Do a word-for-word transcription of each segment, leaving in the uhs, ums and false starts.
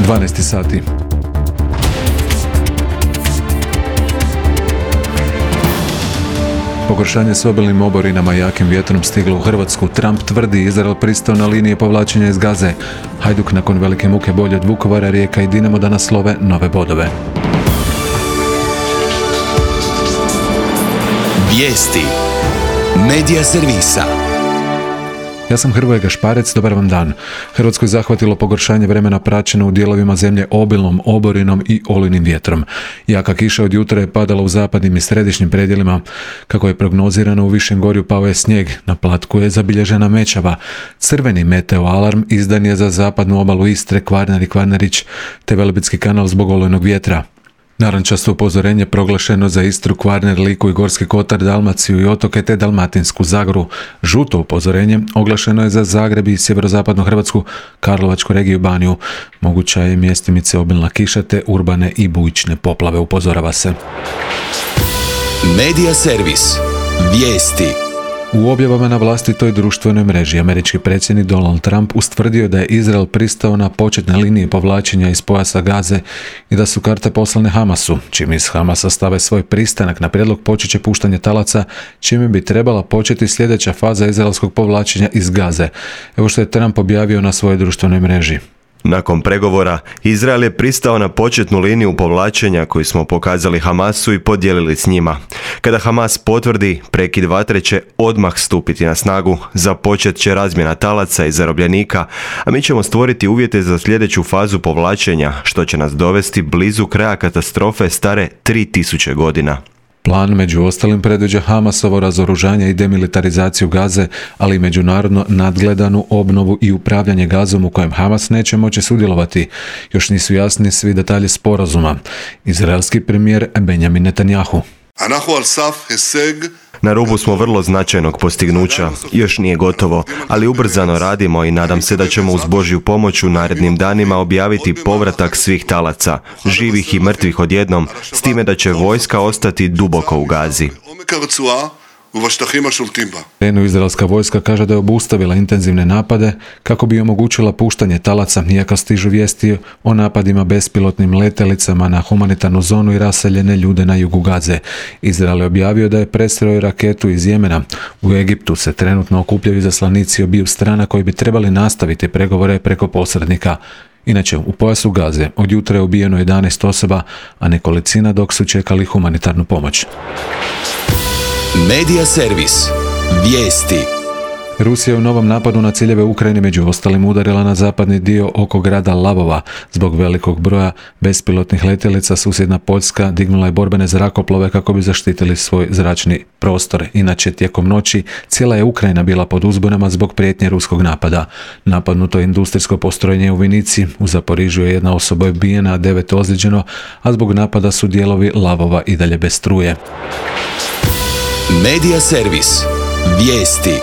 dvanaest sati. Pogoršanje s obilnim oborinama i jakim vjetrom stiglo u Hrvatsku. Trump tvrdi Izrael pristao na linije povlačenja iz Gaze. Hajduk nakon velike muke bolje od Vukovara, Rijeka i Dinamo da naslove nove bodove. Vijesti Medija servisa. Ja sam Hrvoje Gašparec, dobar vam dan. Hrvatskoj zahvatilo pogoršanje vremena praćeno u dijelovima zemlje obilnom oborinom i olujnim vjetrom. Jaka kiša od jutra je padala u zapadnim i središnjim predjelima. Kako je prognozirano, u Višem Gorju pao je snijeg, na Platku je zabilježena mećava. Crveni meteo alarm izdan je za zapadnu obalu Istre, Kvarner i Kvarnerić, te Velebitski kanal zbog olujnog vjetra. Narančasto upozorenje proglašeno za Istru, Kvarner, Liku i Gorski kotar, Dalmaciju i otoke te Dalmatinsku Zagoru. Žuto upozorenje oglašeno je za Zagreb i sjeverozapadnu Hrvatsku, Karlovačku regiju, Baniju. Moguća je mjestimice obilna kiša te urbane i bujične poplave, upozorava se. Medija servis. Vijesti. U objavama na vlastitoj društvenoj mreži američki predsjednik Donald Trump ustvrdio da je Izrael pristao na početne linije povlačenja iz pojasa Gaze i da su karte poslane Hamasu. Čim iz Hamasa stave svoj pristanak na prijedlog, počet će puštanje talaca, čime bi trebala početi sljedeća faza izraelskog povlačenja iz Gaze. Evo što je Trump objavio na svojoj društvenoj mreži. Nakon pregovora, Izrael je pristao na početnu liniju povlačenja koju smo pokazali Hamasu i podijelili s njima. Kada Hamas potvrdi, prekid vatre će odmah stupiti na snagu, započet će razmjena talaca i zarobljenika, a mi ćemo stvoriti uvjete za sljedeću fazu povlačenja, što će nas dovesti blizu kraja katastrofe stare tri tisuće godina. Plan među ostalim predviđa Hamasovo razoružanje i demilitarizaciju Gaze, ali i međunarodno nadgledanu obnovu i upravljanje Gazom u kojem Hamas neće moći sudjelovati. Još nisu jasni svi detalji sporazuma. Izraelski premijer Benjamin Netanjahu. Na rubu smo vrlo značajnog postignuća. Još nije gotovo, ali ubrzano radimo i nadam se da ćemo uz Božju pomoć u narednim danima objaviti povratak svih talaca, živih i mrtvih odjednom, s time da će vojska ostati duboko u Gazi. Eno izraelska vojska kaže da je obustavila intenzivne napade kako bi omogućila puštanje talaca, iako stižu vijesti o napadima bespilotnim letelicama na humanitarnu zonu i raseljene ljude na jugu Gaze. Izrael je objavio da je presreo raketu iz Jemena. U Egiptu se trenutno okupljaju izaslanici obiju strana koji bi trebali nastaviti pregovore preko posrednika. Inače, u pojasu Gaze od jutra je ubijeno jedanaest osoba, a nekolicina dok su čekali humanitarnu pomoć. Medija servis. Vijesti. Rusija je u novom napadu na ciljeve Ukrajine među ostalim udarila na zapadni dio oko grada Lavova. Zbog velikog broja bespilotnih letjelica susjedna Poljska dignula je borbene zrakoplove kako bi zaštitili svoj zračni prostor. Inače, tijekom noći cijela je Ukrajina bila pod uzbunama zbog prijetnje ruskog napada. Napadnuto je industrijsko postrojenje u Vinici, u Zaporižju je jedna osoba ubijena, a devet ozlijeđeno, a zbog napada su dijelovi Lavova i dalje bez struje. Medija servis. Vijesti.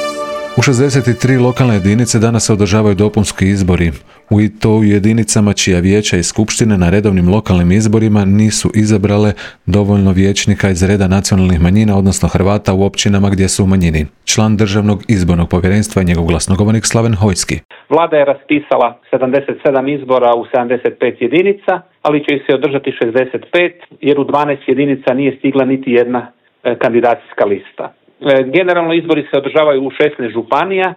U šezdeset tri lokalne jedinice danas se održavaju dopunski izbori. U i to u jedinicama čija vijeća i skupštine na redovnim lokalnim izborima nisu izabrale dovoljno vijećnika iz reda nacionalnih manjina, odnosno Hrvata u općinama gdje su u manjini. Član Državnog izbornog povjerenstva i njegov glasnogovornik Slaven Hojski. Vlada je raspisala sedamdeset sedam izbora u sedamdeset pet jedinica, ali će ih se održati šezdeset pet jer u dvanaest jedinica nije stigla niti jedna kandidacijska lista. Generalno izbori se održavaju u šesnaest županija,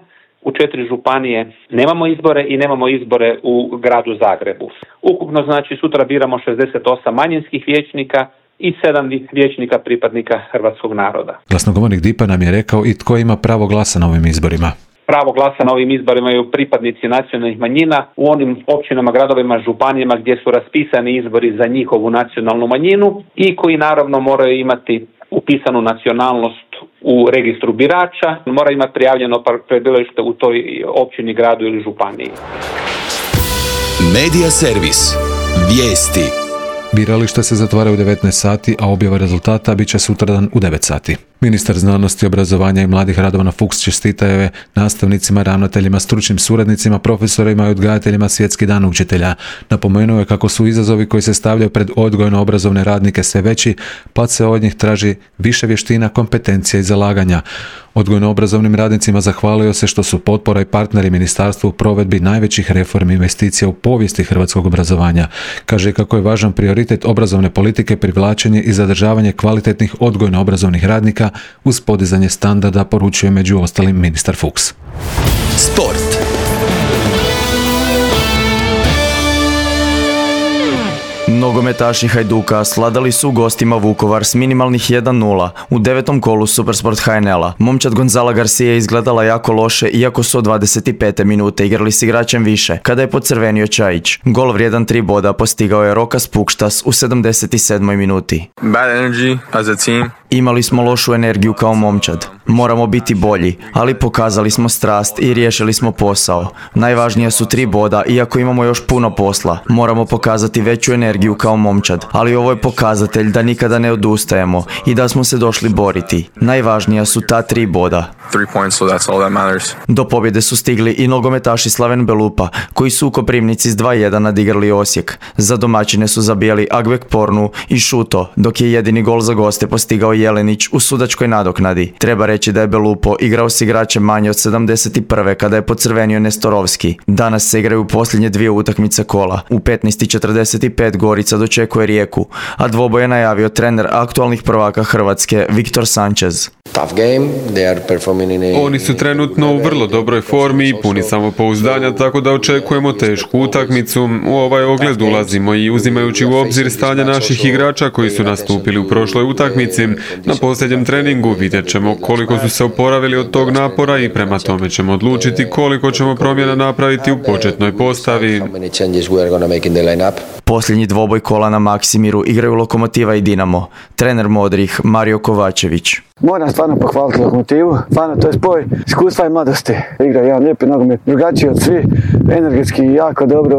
u četiri županije nemamo izbore i nemamo izbore u gradu Zagrebu. Ukupno znači sutra biramo šezdeset osam manjinskih vijećnika i sedam vijećnika pripadnika hrvatskog naroda. Glasnogovornik D I P-a nam je rekao i tko ima pravo glasa na ovim izborima. Pravo glasa na ovim izborima imaju pripadnici nacionalnih manjina u onim općinama, gradovima, županijama gdje su raspisani izbori za njihovu nacionalnu manjinu i koji naravno moraju imati upisanu nacionalnost u registru birača, mora imati prijavljeno prebivalište u toj općini, gradu ili županiji. Medija servis. Vijesti. Birališta se zatvaraju u devetnaest sati, a objava rezultata bit će sutradan u devet sati. Ministar znanosti, obrazovanja i mladih Radovan Fuchs čestitao je nastavnicima, ravnateljima, stručnim suradnicima, profesorima i odgajateljima Svjetski dan učitelja. Napomenuo je kako su izazovi koji se stavljaju pred odgojno-obrazovne radnike sve veći, pa se od njih traži više vještina, kompetencija i zalaganja. Odgojno-obrazovnim radnicima zahvalio se što su potpora i partneri ministarstvu u provedbi najvećih reformi investicija u povijesti hrvatskog obrazovanja. Kaže kako je važan prioritet obrazovne politike privlačenje i zadržavanje kvalitetnih odgojno-obrazovnih radnika uz podizanje standarda, poručuje među ostalim ministar Fuchs. Sport. Nogometaši Hajduka sladali su gostima Vukovar s minimalnih jedan nula u devetom kolu Supersport H N L-a. Momčad Gonzala Garcia izgledala jako loše, iako su od dvadeset pete minute igrali s igračem više, kada je pocrvenio Čajić. Gol vrijedan tri boda postigao je Rokas Pukštas u sedamdeset sedmoj minuti. Bad energy as a team. Imali smo lošu energiju kao momčad. Moramo biti bolji, ali pokazali smo strast i riješili smo posao. Najvažnija su tri boda, iako imamo još puno posla. Moramo pokazati veću energiju kao momčad, ali ovo je pokazatelj da nikada ne odustajemo i da smo se došli boriti. Najvažnija su ta tri boda. Three points, so that's all that matters. Do pobjede su stigli i nogometaši Slaven Belupa, koji su u Koprivnici s dva jedan nadigrali Osijek. Za domaćine su zabijali Agbek Pornu i Šuto, dok je jedini gol za goste postigao Jelenić u sudačkoj nadoknadi. Treba reći da je Belupo igrao s igračem manje od sedamdeset prve kada je pocrvenio Nestorovski. Danas se igraju posljednje dvije utakmice kola. U petnaest i četrdeset pet Gorica dočekuje Rijeku, a dvoboj je najavio trener aktualnih prvaka Hrvatske Viktor Sanchez. Oni su trenutno u vrlo dobroj formi i puni samopouzdanja, tako da očekujemo tešku utakmicu. U ovaj ogled ulazimo i uzimajući u obzir stanje naših igrača koji su nastupili u prošloj utakmici. Na posljednjem treningu vidjet ćemo koliko su se oporavili od tog napora i prema tome ćemo odlučiti koliko ćemo promjena napraviti u početnoj postavi. Posljednji dvoboj kola na Maksimiru igraju Lokomotiva i Dinamo. Trener modrih Mario Kovačević. Moram stvarno pohvaliti Lokomotivu, stvarno to je spoj iskustva i mladosti. Igra jedan lijepi nogomet, drugačiji od svi, energetski jako dobro,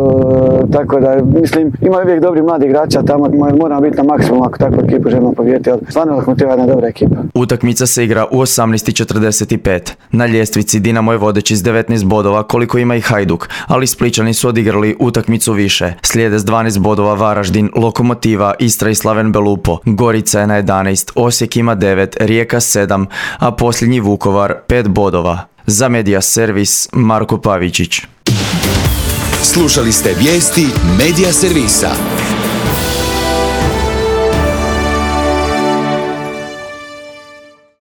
tako da mislim ima uvijek dobri mladi igrača tamo, moramo biti na maksimum ako takvu ekipu želimo pobijediti, ali stvarno Lokomotiva je jedna dobra ekipa. Utakmica se igra u osamnaest i četrdeset pet. Na ljestvici Dinamo je vodeći s devetnaest bodova koliko ima i Hajduk, ali Spličani su odigrali utakmicu više. Slijede s dvanaest bodova Varaždin, Lokomotiva, Istra i Slaven Belupo. Gorica je na jedanaest, Osijek ima devet, Rijeka sedam, a posljednji Vukovar pet bodova. Za Medija Servis Marko Pavičić. Slušali ste vijesti Medija Servisa.